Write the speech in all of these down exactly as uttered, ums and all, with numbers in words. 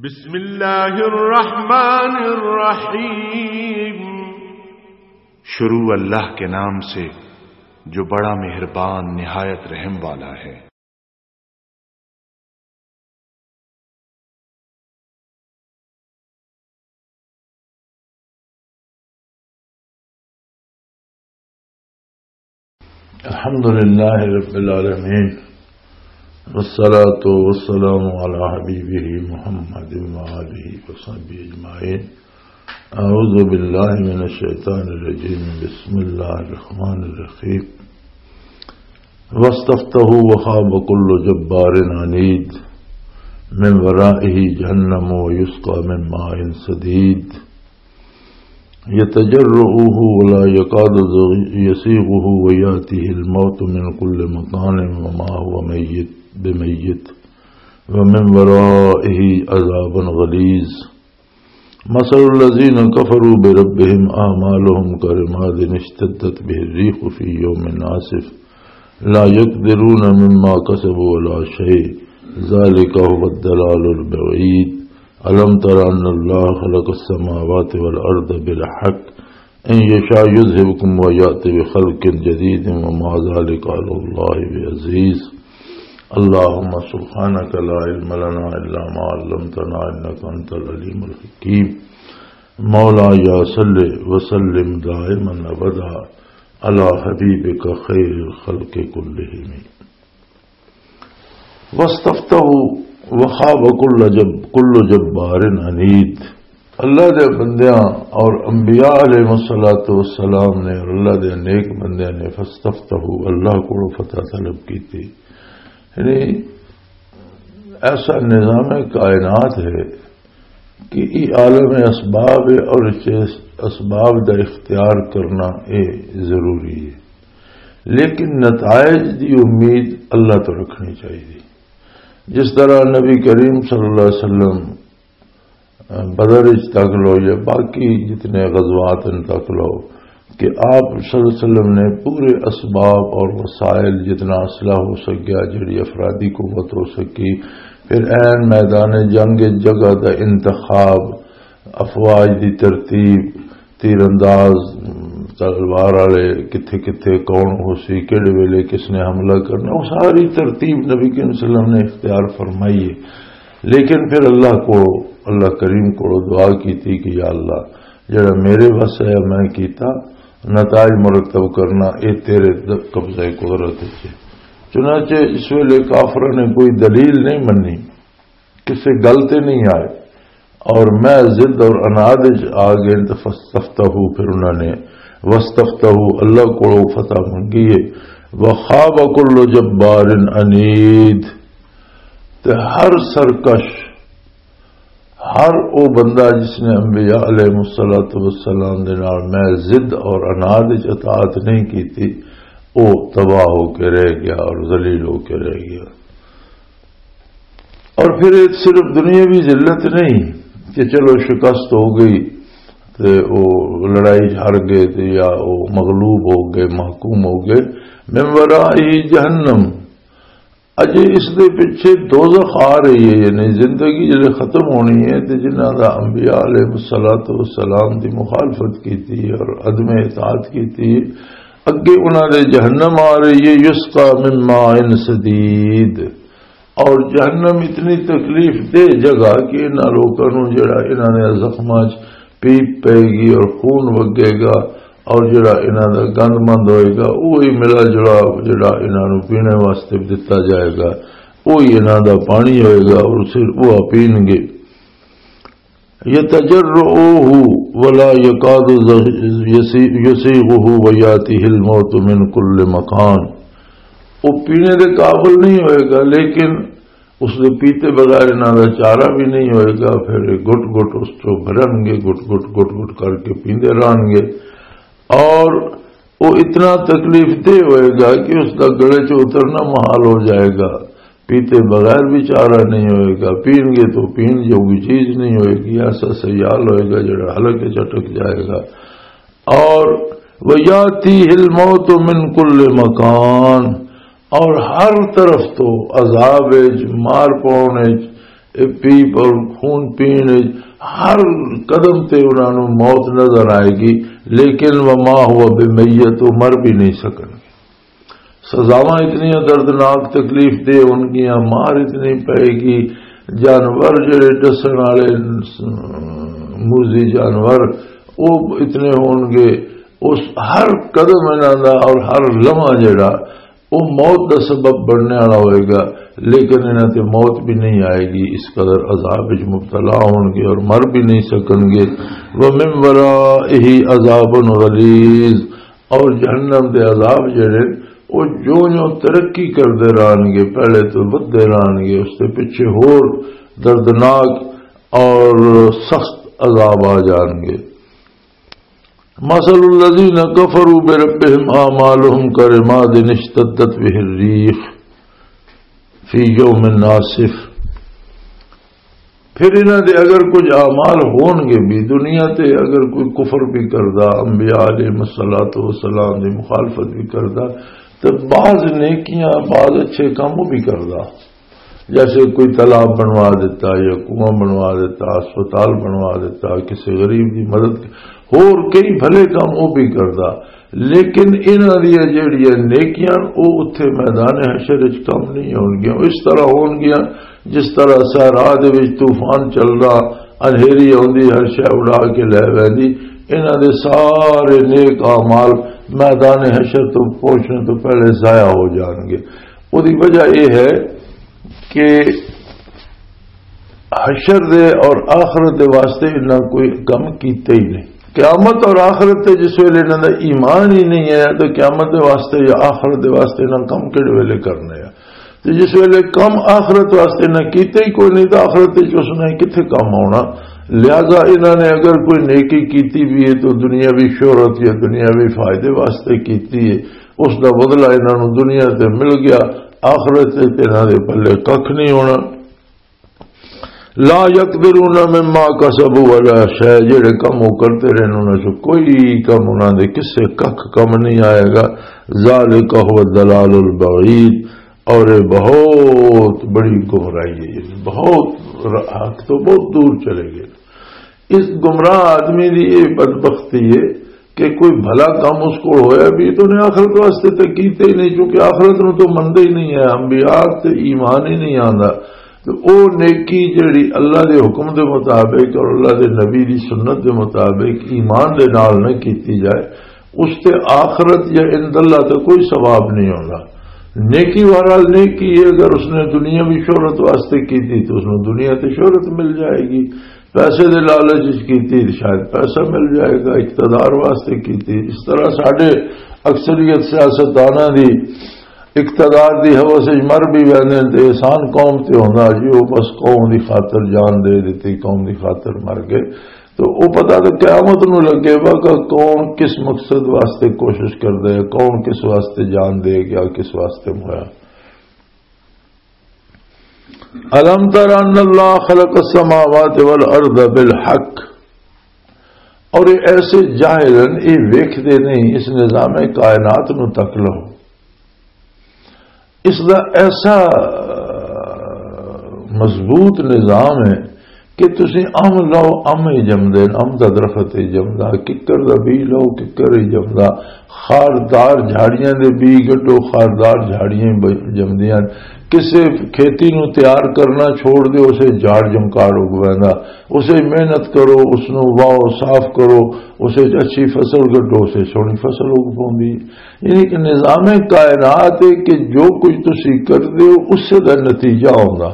بسم اللہ الرحمن الرحیم۔ شروع اللہ کے نام سے جو بڑا مہربان نہایت رحم والا ہے۔ الحمد لله رب العالمين، والصلاة والسلام على حبيبه محمد وآله وصحبه أجمعين. أعوذ بالله من الشيطان الرجيم. بسم الله الرحمن الرحيم. واستفتحوا وخاب كل جبار عنيد، من ورائه جهنم ويسقى من ماء سديد، يتجرعه ولا يكاد يسيغه ويأتيه الموت من كل مكان وما هو ميت بميت ومن ورائه عذاب غليظ. مثل الذين كفروا بربهم أعمالهم كرماد اشتدت به الريح في يوم عاصف لا يقدرون مما كسبوا على شيء، ذلك هو الضلال البعيد. ألم تر أن الله خلق السماوات والأرض بالحق إن يشاء يذهبكم ويأت بخلق جديد وما ذلك على الله بعزيز. اللهم سبحانك لا علم لنا إلا ما علمتنا إنك أنت العليم الحكيم. مولاي صل وسلم دائما أبدا على حبيبك خير الخلق كلهم. واستفتحوا وخاب كل جب-، كل جبار عنيد۔ اللہ دے بندیاں اور انبیاء علیہ الصلوۃ والسلام نے اور اللہ دے نیک بندیاں نے فاستفتحوا، اللہ کو فتح طلب کی تھی۔ یعنی ایسا نظام کائنات ہے کہ یہ عالم اسباب ہے اور اس اسباب دا اختیار کرنا اے ضروری ہے، لیکن نتائج دی امید اللہ تو رکھنی چاہیے۔ جس طرح نبی کریم صلی اللہ علیہ وسلم بدر وچ تک لو یا باقی جتنے غزوات ہیں تک لو، کہ آپ صلی اللہ علیہ وسلم نے پورے اسباب اور وسائل، جتنا اسلحہ ہو سکیا، جڑی افرادی قوت ہو سکی، پھر عین میدان جنگ جگہ دا انتخاب، افواج دی ترتیب، تیر انداز، تلوار والے کتھے کتھے کون ہو سی، کہڑے ویلے کس نے حملہ کرنا، وہ ساری ترتیب نبی کریم صلی اللہ علیہ وسلم نے اختیار فرمائی ہے۔ لیکن پھر اللہ کو، اللہ کریم کو دعا کی تھی کہ یا اللہ، جڑا میرے وس ہے میں کیتا، نتائج مرتب کرنا، اے تیرے د-، قبضہ قدرت وچ ہے۔ چنانچہ اس ویلے کافروں نے کوئی دلیل نہیں منی، کسے گل تے نہیں آئے، اور میں ضد اور عناد وچ آ گئے، تو فاستفتحوا، پھر انہوں نے واستفتحوا، اللہ کو فتح منگی ہے۔ وخاب كل جبار عنيد، تے ہر سرکش، ہر او بندہ جس نے انبیاء علیہ الصلوۃ والسلام دے نال میں ضد اور عناد وچ اطاعت نہیں کیتی، او تباہ ہو کے رہ گیا اور ذلیل ہو کے رہ گیا۔ اور پھر ایک صرف دنیاوی ذلت نہیں کہ چلو شکست ہو گئی تے او لڑائی ہار گئے تے یا او مغلوب ہو گئے، محکوم ہو گئے۔ من ورائہ جہنم، اجے اس دے پیچھے دوزخ آ رہی ہے، یعنی زندگی جلے ختم ہونی ہے تے جنہاں دا انبیاء علیہ الصلوۃ والسلام دی مخالفت کیتی اور عدم اطاعت کیتی، اگے انہاں دے جہنم آ رہی ہے، یسقا من ماء سدید، اور جہنم اتنی تکلیف دہ جگہ کہ انہاں لوکاں نوں جڑا انہاں نے زخماں 'چ پیپ پئے گی اور خون وگے گا، اور جڑا انہاں دا گند مند ہوئے گا، وہی ملا جلا جڑا انہاں نوں پینے واسطے دتا جائے گا، وہی انہاں دا پانی ہوئے گا اور صرف وہ پین گے۔ يتجرعه ولا يكاد يسيغه ويأتيه الموت من كل مكان۔ وہ پینے دے قابل نہیں ہوئے گا، لیکن اس دے پیتے بغیر انہاں دا چارہ بھی نہیں ہوئے گا۔ پھر گٹ گٹ اس چوں بھرن گے، گٹ گٹ گٹ گٹ کر کے پیندے رہن گے۔ اور وہ اتنا تکلیف دہ ہوئے گا کہ اس دا گلے چ اترنا محال ہو جائے گا۔ پیتے بغیر بھی چارہ نہیں ہوئے گا، پین گے تو پین جوگی چیز نہیں ہوئے گی، ایسا سیال ہوئے گا جڑا حلق کے چٹک جائے گا۔ اور وَيَأْتِيهِ الْمَوْتُ مِنْ كُلِّ مَكَانٍ، اور ہر طرف تو عذاب وچ، مار پاؤن وچ، اے پیپ اور خون پین وچ ہر قدم تے انہاں نوں موت نظر آئے گی، لیکن وما هو بمیت، وہ مر بھی نہیں سکن۔ سزاواں اتنیاں دردناک تکلیف دہ ہون گیاں، مار اتنی پئے گی، جانور جڑے ڈسن والے، موزی جانور، وہ اتنے ہون گے۔ اس ہر قدم انہاں دا اور ہر لمحہ جڑا، وہ موت دا سبب بننے والا ہوئے گا، لیکن انہاں تے موت بھی نہیں آئے گی، اس قدر عذاب وچ مبتلا ہون گے اور مر بھی نہیں سکن گے۔ وَمِن وَرَائِهِ عَذَابٌ غَلِيظٌ، اور جہنم دے عذاب جڑے، وہ جو جو ترقی کردے رہن گے، پہلے تو ودھدے رہن گے، اس دے پیچھے ہور دردناک اور سخت عذاب آ جان گے۔ مثل الذين كفروا بربهم أعمالهم كرماد اشتدت به الريح في يوم عاصف۔ پھر انہاں دے اگر کچھ اعمال ہون گے بھی، دنیا تے اگر کوئی کفر بھی کردا، انبیاء علیہ الصلوۃ والسلام دی مخالفت بھی کردا، تے بعض نیکیاں، بعض اچھے کام وہ بھی کردا، جیسے کوئی تالاب بنوا دیتا یا کنواں بنوا دیتا، ہسپتال بنوا دیتا، کسی غریب دی مدد، ہور کئی بھلے کام وہ بھی کردا۔ لیکن انہاں دیاں جڑیاں نیکیاں، او اتھے میدان حشر وچ کم نہیں ہونگیاں۔ او اس طرح ہونگیاں جس طرح صحرا دے وچ طوفان چلدا، انہیری آندی، ہر شے اڑا کے لے ویندی۔ انہاں دے سارے نیک اعمال میدان حشر تو پہنچنے تو پہلے ضائع ہو جان گے۔ اودی وجہ یہ ہے کہ حشر دے اور آخرت دے واسطے انہاں کوئی کم کیتے ہی نہیں۔ قیامت اور آخرت تے جس ویلے انہاں دا ایمان ہی نہیں ہے، تو قیامت دے واسطے یا آخرت دے واسطے انہاں کم کہڑے ویلے کرنے آ؟ تے جس ویلے کم آخرت واسطے انہاں کیتے ہی کوئی نہیں، تو آخرت وچ اس نے کتھے کم آنا؟ لہذا انہاں نے اگر کوئی نیکی کیتی بھی ہے، تو دنیاوی شہرت یا دنیاوی فائدے واسطے کیتی ہے، اس دا بدلہ انہاں نوں دنیا تے مل گیا، آخرت تے انہاں دے پلے ککھ نہیں ہونا۔ لا يقدرون مما كسبوا على شيء، جڑے کم وہ کرتے رہے، انہاں سے کوئی کم، انہاں دے کسے ککھ کم نہیں آئے گا۔ ذالک هو الضلال البعید، اور یہ بہت بڑی گمراہی ہے، یعنی بہت ر-، حق تو بہت دور چلے گئے۔ اس گمراہ آدمی دی یہ بدبختی ہے کہ کوئی بھلا کام اس کو ہویا بھی تو نے آخرت واسطے تے کیتے ہی نہیں، کیونکہ آخرت نو تو مندا ہی نہیں ہے، انبیاء تے ایمان ہی نہیں آندا۔ تو او نیکی جڑی اللہ دے حکم دے مطابق اور اللہ دے نبی دی سنت دے مطابق ایمان دے نال نہ کیتی جائے، اس تے آخرت یا عند اللہ تے کوئی ثواب نہیں ہوندا۔ نیکی بہرحال نیکی ہے، اگر اس نے دنیا بھی شہرت واسطے کیتی تو اس نو دنیا تے شہرت مل جائے گی، پیسے دے لالچ وچ کیتی تے شاید پیسہ مل جائے گا، اقتدار واسطے کیتی۔ اس طرح ساڈے اکثریت سیاستداناں دی اقتدار دی ہوس وچ مر بھی ویندے نے تے احسان قوم تے ہوندا جی، او بس قوم دی خاطر جان دے دتی، قوم دی خاطر مر گئے۔ تو او پتہ تے قیامت نو لگے گا کہ کون کس مقصد واسطے کوشش کردا ہے، کون کس واسطے جان دے گیا، کس واسطے مویا۔ الم تر ان اللہ خلق السماوات والارض بالحق، اور یہ ایسے جاہل ہیں، یہ ویکھدے نہیں، اس نظام کائنات نو تک لو۔ اس دا ایسا مضبوط نظام ہے کہ تسی ام لو، ام ہی جمدے، ام دا درخت ہی جمدا، ککر دا بی لو، ککر ہی جمدا، خاردار جھاڑیاں دے بی گڈو، خاردار جھاڑیاں ہی ب-، جمدیاں۔ کسے کھیتی نو تیار کرنا چھوڑ دے، اسے جھاڑ جمکاڑ اگ ویندا۔ اسے محنت کرو، اس نو واہو، صاف کرو، اسے اچھی فصل گڈو، اسے سونی فصل اگ پوندی۔ یعنی کہ نظام کائنات ہے کہ جو کچھ تسی کردے ہو، اسے دا نتیجہ ہوندا۔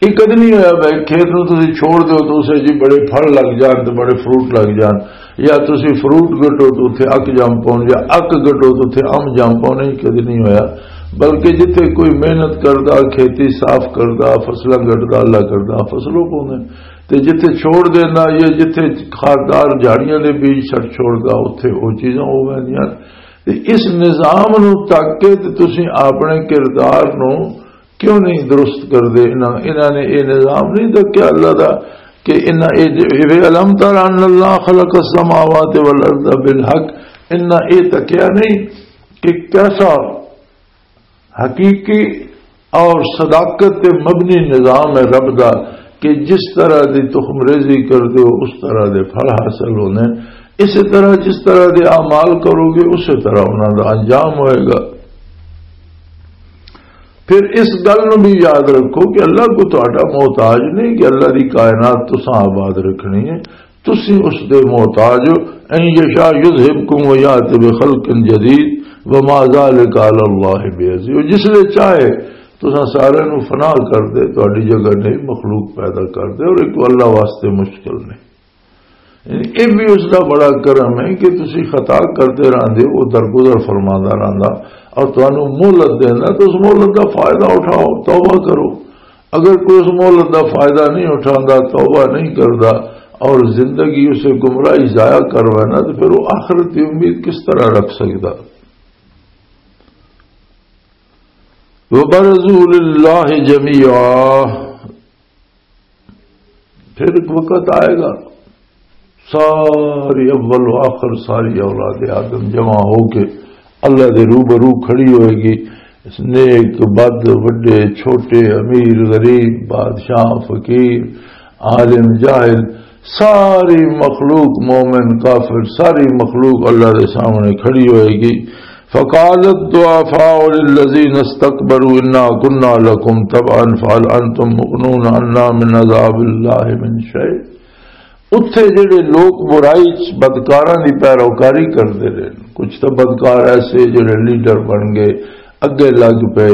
یہ کدی نہیں ہویا بھائی، کھیت نو تسی چھوڑ دیو تو اسے جی بڑے پھل لگ جان تے بڑے فروٹ لگ جان، یا تسی فروٹ گٹو تو اتھے اک جم پون، یا اک گٹو تو اتھے ام جم پون، یہ کدی نہیں ہویا۔ بلکہ جتھے کوئی محنت کردا، کھیتی صاف کردا، فصلاں گٹدا، اللہ کردا، فصلوں پوندے، تے جتھے چھوڑ دینا یا جتھے خاردار جھاڑیاں دے بیج سٹ چھوڑدا، اتھے او چیزاں ہو ویندیاں۔ تے اس نظام نو تک کے تے تسی اپنے کردار نو کیوں نہیں درست کردے؟ انہاں، انہاں نے یہ نظام نہیں تکیا اللہ دا کہ انہاں اے جو، اے الم تر ان اللہ خلق السماوات والارض بالحق، انہاں اے تکیا نہیں کہ کیسا حقیقی اور صداقت تے مبنی نظام ہے رب دا، کہ جس طرح دی تخم ریزی کر دیو، اس طرح دے پھل حاصل ہونے۔ اسی طرح جس طرح دے اعمال کرو گے، اسی طرح انہاں دا انجام ہوئے گا۔ پھر اس گل نوں بھی یاد رکھو کہ اللہ کو تہاڈا محتاج نہیں، کہ اللہ دی کائنات تساں آباد رکھنی ہے، تسی اس دے محتاج ہو۔ ان یشاء یذہبکم و یات بخلق جدید وما ذلک علی اللہ بعزیز۔ وہ جس لے چاہے تساں سارے نوں فنا کر دے، تہاڈی جگہ نئی مخلوق پیدا کر دے، اور ایک اللہ واسطے مشکل نہیں۔ یعنی یہ بھی اس دا بڑا کرم ہے کہ تسی خطا کردے رہندے ہو، وہ درگزر فرماندا رہندا اور تانوں مہلت دیندا، تو اس مہلت دا فائدہ اٹھاؤ، توبہ کرو۔ اگر کوئی اس مہلت دا فائدہ نہیں اٹھاندا، توبہ نہیں کردا اور زندگی اسے گمراہی ضائع کروائے نا، تو پھر وہ آخرت کی امید کس طرح رکھ سکدا؟ وَبَرَزُوا لِلَّهِ جَمِيعًا۔ پھر ایک وقت آئے گا، ساری اول و آخر، ساری اولاد آدم جمع ہو کے اللہ دے روبرو کھڑی ہوئے گی۔ نیک، بد، وڈے، چھوٹے، امیر، غریب، بادشاہ، فقیر، عالم، جاہل، ساری مخلوق، مومن، کافر، ساری مخلوق اللہ دے سامنے کھڑی ہوئے گی۔ فقال الضعفاء للذين استكبروا إنا كنا لكم تبعا فهل أنتم مغنون عنا من عذاب الله من شيء۔ اتھے جڑے لوگ برائی چ بدکاراں دی پیروکاری کردے رہے، کچھ تو بدکار ایسے جڑے لیڈر بن گئے، اگے لگ پئے،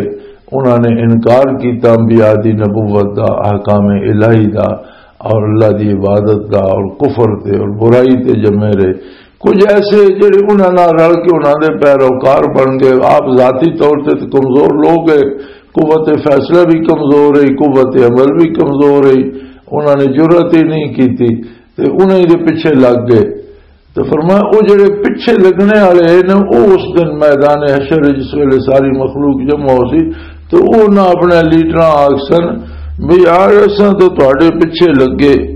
انہاں نے انکار کیتا انبیاء دی نبوت دا، احکام الہی دا، اور اللہ دی عبادت دا، اور کفر تے اور برائی تے جمے رہے۔ کچھ ایسے جڑے انہاں نال رل کے انہاں دے پیروکار بن گئے، آپ ذاتی طور تے تے کمزور لوگ ہے، قوت فیصلہ بھی کمزور ہے، قوت عمل بھی کمزور ہے، انہاں نے جرأت ہی نہیں کیتی تے انہاں دے پیچھے لگ گئے۔ تے فرمایا، او جڑے پیچھے لگنے والے ہیں نا، او اس دن میدان حشر جس ویلے ساری مخلوق جمع ہو سی، تے او نہ اپنے لیڈراں آکھسن، "بھئی یار، اساں تے تہاڈے پیچھے لگے،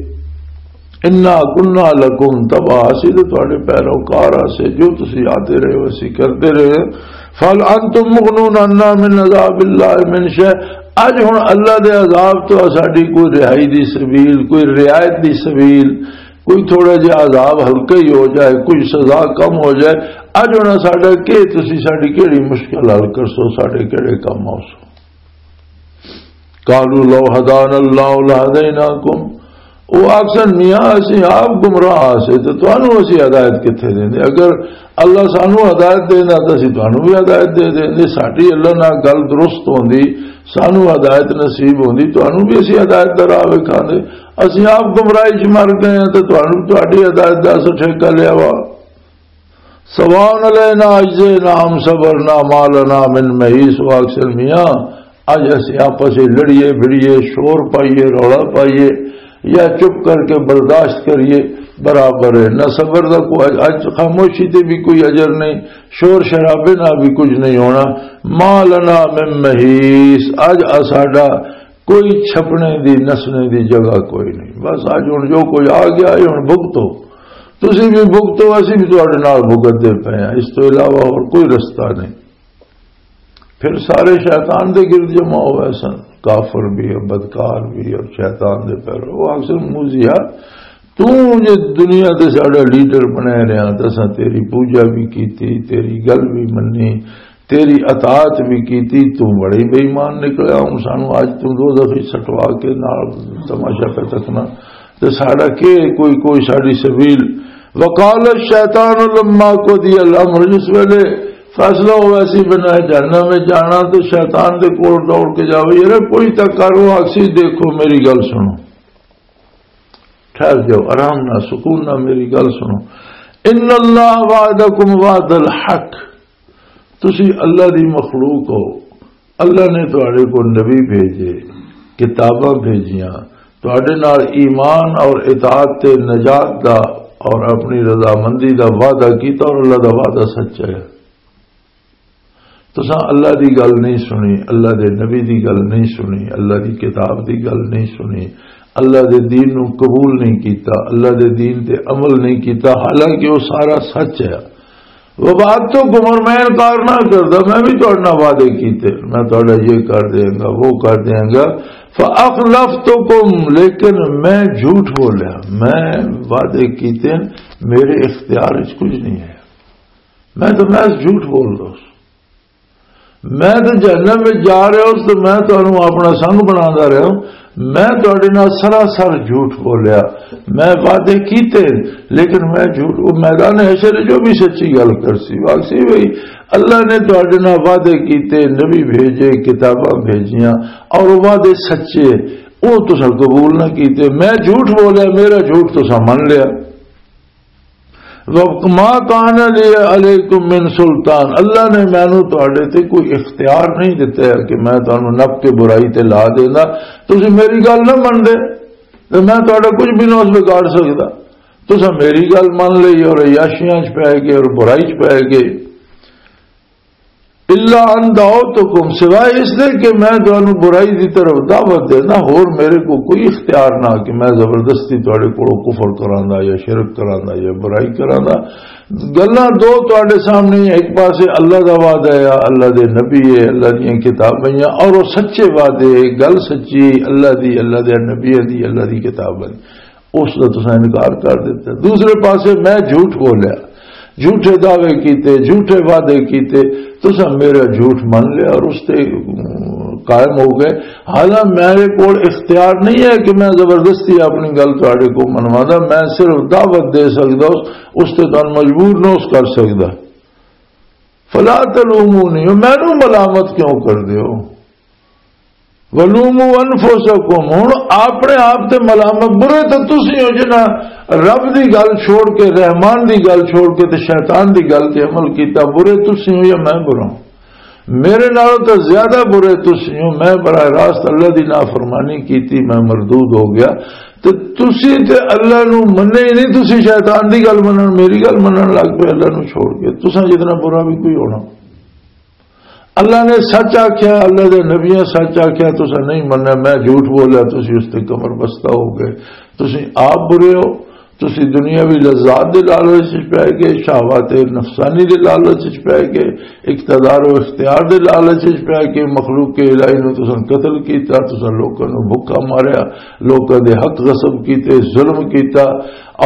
انا کنا لکم تبع، اسی تے تہاڈے پیروکار آسے، جو تسی آتے رہے ہو، اسی کرتے رہے۔ فل انتم مغنون عنا من عذاب اللہ من شیء۔" اج ہن اللہ دے عذاب تو ساڈی کوئی رہائی دی سبیل، کوئی رعایت دی سبیل، کوئی تھوڑا جہا عذاب ہلکا ہی ہو جائے، کوئی سزا کم ہو جائے، اج ہن ساڈا کی، تسی ساڈی کیڑی مشکل حل کرسو، ساڈے کیڑے کم آؤسو؟ قالوا لو هدانا الله لهديناكم۔ او آکھسن، "میاں، اسی آپ گمراہ آسے تے تانوں اسی ہدایت کتھے دیندے؟ اگر اللہ سانوں ہدایت دیندا تے اسی تانوں بھی ہدایت دے دیندے۔ ساڈی اللہ نال گل درست ہوندی، سانوں ہدایت نصیب ہوندی، تانوں بھی اسی ہدایت دا راہ وکھاندے۔ اسی آپ گمراہی چ مر گئے ہاں تے تانوں، تہاڈی ہدایت دا اساں ٹھیکہ لیا وا۔" سواء علینا اجزینا ام صبرنا ما لنا من محیص۔ وہ آکھسن، "میاں، اج اسی آپس وچ لڑیے بھڑیے، شور پائیے، رولا پائیے، یا چپ کر کے برداشت کریے، برابر ہے۔ نہ صبر دا کوئی، اج خاموشی تے بھی کوئی اجر نہیں، شور شرابے نہ بھی کچھ نہیں ہونا۔ ما لنا من محیص، اج اساڈا کوئی چھپنے دی، نسنے دی جگہ کوئی نہیں۔ بس اج ہن جو کوئی آ گیا ہے، ہن بھگتو، تسی بھی بھگتو، اسی بھی تہاڈے نال بھگتدے پئے ہاں، اس تو علاوہ اور کوئی رستہ نہیں۔" پھر سارے شیطان دے گرد جمع ہوئے سن، کافر بھی اور بدکار بھی اور شیطان دے پیرو۔ وہ آکھسن، "موزیا، تو جے دنیا تے ساڈا لیڈر بنایا رہیا، تے اساں تیری پوجا بھی کیتی، تیری گل بھی منی، تیری اطاعت بھی کیتی، تو بڑا ہی بے ایمان نکلیا۔ ہن سانو اج تو دوزخ وچ سٹوا کے نال تماشا پہ تکنا، تے ساڈا کے کوئی، کوئی ساڈی سبیل۔" وقال الشیطان لما قضی الامر، جس ویلے فیصلہ ہوا سی بنا جہنم میں جانا، تو شیطان دے کول دوڑ کے جاوے، "یار کوئی تک کرو، آکسی، دیکھو میری گل سنو، ٹھہر جاؤ، آرام نہ، سکون نہ، میری گل سنو۔ ان اللہ وعدکم وعد الحق، تسی اللہ دی مخلوق ہو، اللہ نے تہاڈے کو نبی بھیجے، کتاباں بھیجیاں، تہاڈے نال ایمان اور اطاعت تے نجات دا اور اپنی رضامندی دا وعدہ کیتا، اور اللہ دا وعدہ سچا ہے۔ تساں اللہ دی گل نہیں سنی، اللہ دے نبی دی گل نہیں سنی، اللہ دی کتاب دی گل نہیں سنی، اللہ دے دین نو قبول نہیں کیتا، اللہ دے دین تے عمل نہیں کیتا، حالانکہ وہ سارا سچ ہے۔ وعدتکم، اور میں انکار نہ کردا، میں بھی تہاڈے نال وعدے کیتے، میں تہاڈا یہ کر دیاں گا، وہ کر دیاں گا۔ فاخلفتکم، لیکن میں جھوٹ بولیا، میں وعدے کیتے، میرے اختیار وچ کچھ نہیں ہے، میں تو محض جھوٹ بول رہا ہوں۔ میں تو جہنم وچ جا رہا ہوں تو میں تانوں اپنا سنگ بنادا رہا ہوں، میں تہاڈے نال سراسر جھوٹ بولیا، میں وعدے کیتے، لیکن میں جھوٹ، وہ میدان حشر جو بھی سچی گل کرسی، واقعی بھائی اللہ نے تہاڈے نال وعدے کیتے، نبی بھیجے، کتاباں بھیجیاں، اور وہ وعدے سچے، وہ تساں قبول نہ کیتے۔ میں جھوٹ بولیا، میرا جھوٹ تساں من لیا۔ وَمَا كَانَ لِيَ عَلَيْكُمْ مِنْ سُلْطَانٍ، اللہ نے مینوں تہاڈے تے کوئی اختیار نہیں دتا ہے کہ میں تانوں نپ کے برائی تے لا دینا۔ تسی میری گل نہ منتے تے میں تہاڈا کچھ بھی نہ اس بگاڑ سکدا۔ تساں میری گل من لئی اور عیاشیاں چ پے گئے اور برائی چ پے گئے۔ الا ان دعوتکم، سوائے اس دے کہ میں تانوں برائی دی طرف دعوت دینا، ہور میرے کو کوئی اختیار نہ کہ میں زبردستی تہاڈے کولوں کفر کراندا یا شرک کراندا یا برائی کراندا۔ گلاں دو تہاڈے سامنے، ایک پاسے اللہ دا وعدہ ہے، اللہ دے نبی ہے، اللہ دیاں کتاباں ہیں، اور وہ سچے وعدے، گل سچی اللہ دی، اللہ دے نبیاں دی، اللہ دی کتاباں دی۔ اس دا تساں انکار کر دتا۔ دوسرے پاسے میں جھوٹ بولیا، جھوٹے دعوے کیتے، جھوٹے وعدے کیتے، تساں میرا جھوٹ من لیا اور اس تے، ام، قائم ہو گئے۔ حالانکہ میرے کول اختیار نہیں ہے کہ میں زبردستی اپنی گل تہاڈے کو منوا دا، میں صرف دعوت دے سکدا، اس، اس تے تانوں مجبور نہ اس کر سکدا۔ فلا تلومونی، مینوں ملامت کیوں کر دیو؟ ولوموا انفسکم، ہن اپنے آپ تے ملامت، برے تے تسی ہو جنہاں رب دی گل چھوڑ کے، رحمان دی گل چھوڑ کے تے شیطان دی گل تے عمل کیتا، برے تسی ہو یا میں برا ہوں؟ میرے نال تے زیادہ برے تسی ہو، میں براہ راست اللہ دی نافرمانی کیتی، میں مردود ہو گیا۔ تے تسی تے اللہ نو منے ہی نہیں، تسی شیطان دی گل منن، میری گل منن لگ پے اللہ نو چھوڑ کے۔ تساں جتنا برا بھی کوئی ہونا۔ اللہ نے سچ آکھیا، اللہ دے نبیاں سچ آکھیا، تساں نہیں منیا، میں جھوٹ بولیا، تسی اس تے کمر بستہ ہو گئے۔ تسی آپ برے ہو، تسی دنیاوی لذات دے لالچ وچ پے گئے، شہوات نفسانی دے لالچ وچ پے گئے، اقتدار و اختیار دے لالچ وچ پے گئے، مخلوق الہی نو تساں قتل کیتا، تساں لوکاں نو بھکا ماریا، لوکاں دے حق غصب کیتے، ظلم کیتا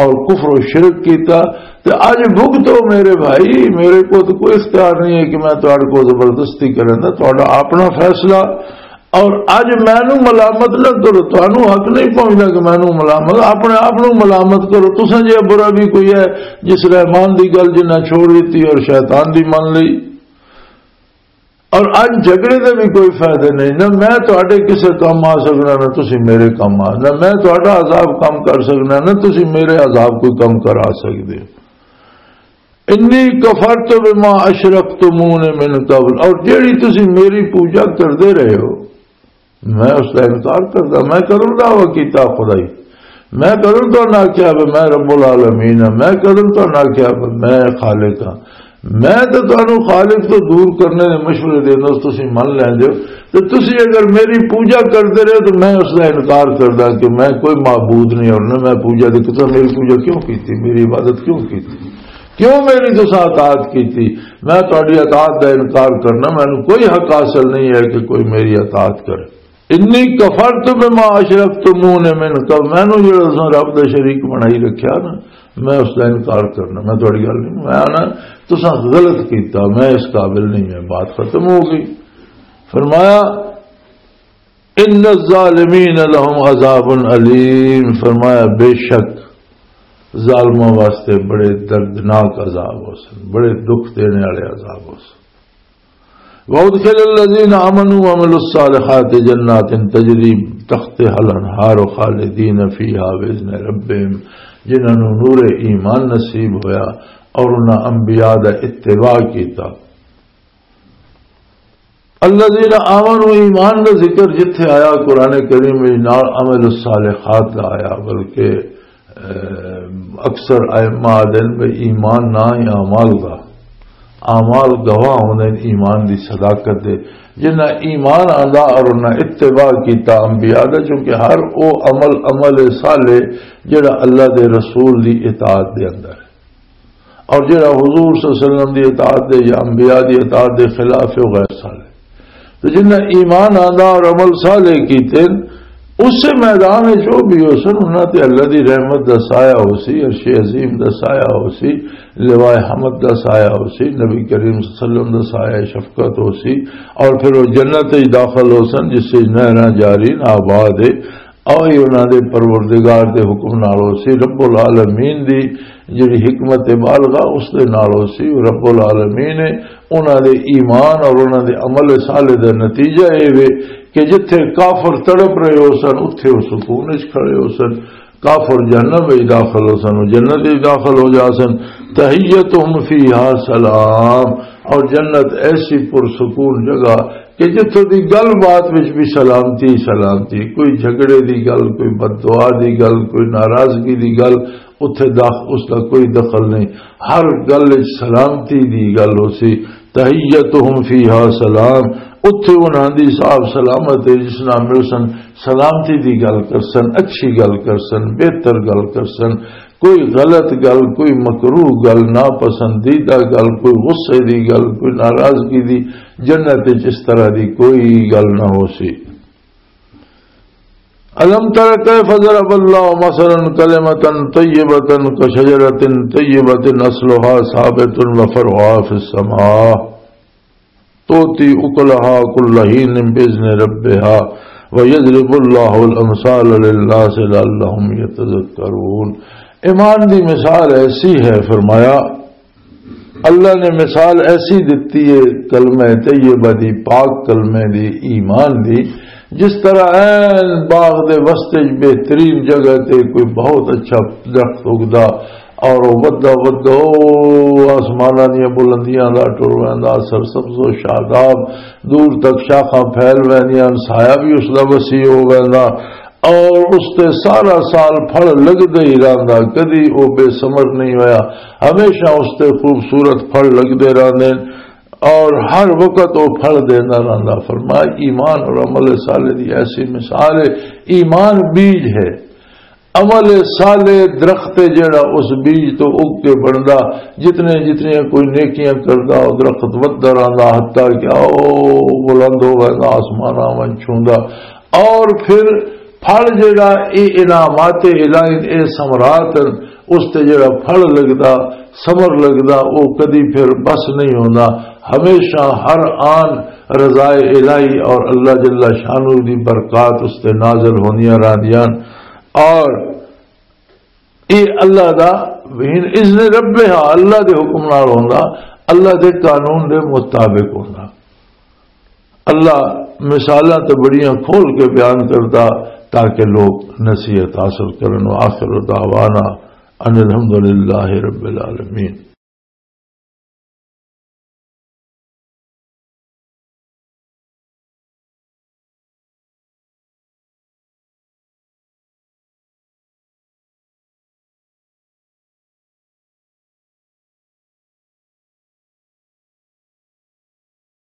اور کفر و شرک کیتا۔ تے اج بھگتو میرے بھائی، میرے کو تو کوئی اختیار نہیں ہے کہ میں تہاڈے کو زبردستی کرن دا، تہاڈا اپنا فیصلہ۔ اور اج مینوں ملامت نہ کرو، تہانوں حق نہیں پہنچدا کہ مینوں ملامت، اپنے آپ نوں ملامت کرو۔ تساں جے برا بھی کوئی ہے جس رحمان دی گل جنہاں چھوڑ دتی اور شیطان دی من لئی۔ اور اج جھگڑے دے بھی کوئی فائدے نہیں، نہ میں تہاڈے کسے کم آ سکنا، نہ تسی میرے کم آ، نہ میں تہاڈا عذاب کم کر سکنا، نہ تسی میرے عذاب کوئی کم کرا سکدے ہو۔ انی کفرت بما اشرکتمون من قبل، اور جیڑی تسی میری پوجا کردے رہے ہو، میں اس دا انکار کردا۔ میں کدوں دعویٰ کیتا خدائی؟ میں کدوں تو نہ کیا بھی میں رب العالمین ہاں؟ میں کدوں تو نہ کیا بھی میں خالق ہاں؟ میں تو تانوں خالق تو دور کرنے دے مشورے دینا، تسی من لیندے ہو۔ تے تسی اگر میری پوجا کردے رہے تو میں اس دا انکار کردا کہ میں کوئی معبود نہیں اور نہ میں پوجا دی۔ تساں میری پوجا کیوں کیتی؟ میری عبادت کیوں کیتی؟ کیوں میری تساں اطاعت کیتی؟ میں تہاڈی اطاعت دا انکار کرنا، مینوں کوئی حق حاصل نہیں ہے کہ کوئی میری اطاعت کرے۔ انی کفرت بما اشرکتمون من قبل، مینوں جڑا تساں رب دا شریک بنائی رکھیا نا، میں اس دا انکار کرنا، میں تہاڈی گل نہیں، میں آنا تساں غلط کیتا، میں اس قابل نہیں، میں بات ختم ہو گئی۔ فرمایا، ان الظالمین لهم عذاب الیم، فرمایا بے شک ظالماں واسطے بڑے دردناک عذاب ہو سن، بڑے دکھ دینے والے عذاب ہو سن۔ وادخل الذین آمنوا وعملوا الصالحات جنات تجری تحتها الانہار خالدین فیها باذن ربهم، جنہاں نوں نور ایمان نصیب ہویا اور انہاں انبیاء دا اتباع کیتا۔ الذین آمنوا، ایمان دا ذکر جتھے آیا قرآن کریم وچ، نال عمل الصالحات دا آیا، بلکہ، اہ، اکثر ائمہ آدھن بھی ایمان نہ ہی اعمال دا، اعمال گواہ ہوندے نے ایمان دی صداقت دے۔ جنہاں ایمان آندا اور انہاں اتباع کیتا انبیاء دا، چونکہ ہر او عمل، عمل صالح جڑا اللہ دے رسول دی اطاعت دے اندر ہے۔ اور جڑا حضور صلی اللہ علیہ وسلم دی اطاعت دے یا انبیاء دی اطاعت دے خلاف ہے، وہ غیر صالح۔ تو جنہاں ایمان آندا اور عمل صالح کیتے، اس میدان وچ جو بھی ہو سن، انہاں تے اللہ دی رحمت دا سایہ ہو سی، عرش عظیم دا سایہ ہو سی، لوائے حمد دا سایہ ہو سی، نبی کریم صلی اللہ علیہ وسلم دا سایہ شفقت ہو سی، اور پھر وہ جنت وچ داخل ہو سن، جس وچ نہراں جاری، آباد ہے۔ اوہی انہاں دے پروردگار دے حکم نال ہو سی۔ رب العالمین دی جڑی حکمت بالغہ اس دے نال ہو سی۔ رب العالمین نے انہاں دے ایمان اور انہاں دے عمل صالح دا نتیجہ اے وے کہ جتھے کافر تڑپ رہے ہو سن، اتھے وہ سکون وچ کھڑے ہو سن۔ کافر جہنم وچ داخل ہو سن، وہ جنت وچ داخل ہو جا سن۔ تحیتہم فیہا سلام، اور جنت ایسی پرسکون جگہ کہ جتھوں دی گل بات وچ بھی سلامتی ہی سلامتی، کوئی جھگڑے دی گل، کوئی بد دعا دی گل، کوئی ناراضگی دی گل، اتھے داخ-، اس دا کوئی دخل نہیں۔ ہر گل وچ سلامتی دی گل ہو سی۔ تحیتہم فیہا سلام، اتھے انہاں دی صاحب سلامت ہے، جس نال مل سن، سلامتی دی گل کر سن، اچھی گل کر سن، بہتر گل کر سن، کوئی غلط گل، کوئی مکروہ گل، ناپسندیدہ گل، کوئی غصے دی گل، کوئی ناراضگی دی، جنت وچ اس طرح دی کوئی گل نہ ہو سی۔ الم تر کیف ضرب اللہ مثلا کلمۃ طیبۃ کشجرۃ طیبۃ اصلها ثابت وفرعها فی السماء تؤتی اکلها کل حین باذن ربها ویضرب اللہ الامثال للناس لعلهم یتذکرون۔ ایمان دی مثال ایسی ہے، فرمایا، اللہ نے مثال ایسی دتی ہے کلمہ طیبہ دی، پاک کلمے دی، ایمان دی، جس طرح این باغ دے وسطے بہترین جگہ تے کوئی بہت اچھا درخت اگدا اور وہ ودا ودا آسماناں دیاں بلندیاں دا ٹر ویندا، سرسبز و شاداب، دور تک شاخاں پھیل ویندیاں، سایہ بھی اس دا وسیع ہو ویندا، اور اس تے سارا سال پھل لگدے ہی رہندا، کدی او بے ثمر نہیں ہویا، ہمیشہ اس تے خوبصورت پھل لگدے رہندے نے، اور ہر وقت او پھل دیندا رہندا۔ فرمایا، ایمان اور عمل صالح دی ایسی مثال ہے۔ ایمان بیج ہے، عمل صالح درخت ہے، جڑا اس بیج تو اگ کے بندا۔ جتنے جتنیاں کوئی نیکیاں کردا، او درخت وددا رہندا، حتیٰ کہ او بلند ہو ویندا، آسماناں ون چھوندا۔ اور پھر پھل جڑا، اے انعامات الہی، اے ثمرات ہن، اس تے جڑا پھل لگدا، ثمر لگدا، او کدی پھر بس نہیں ہوندا، ہمیشہ ہر آن رضائے الہی اور اللہ جل شانہ دی برکات اس تے نازل ہوندیاں رہندیاں۔ اور اے اللہ دا، اذن رب، اللہ دے حکم نال ہوندا، اللہ دے قانون دے مطابق ہوندا۔ اللہ مثالاں تے بڑیاں کھول کے بیان کردا تاکہ لوگ نصیحت حاصل کرن۔ وآخر دعوانا ان الحمدللہ رب العالمین۔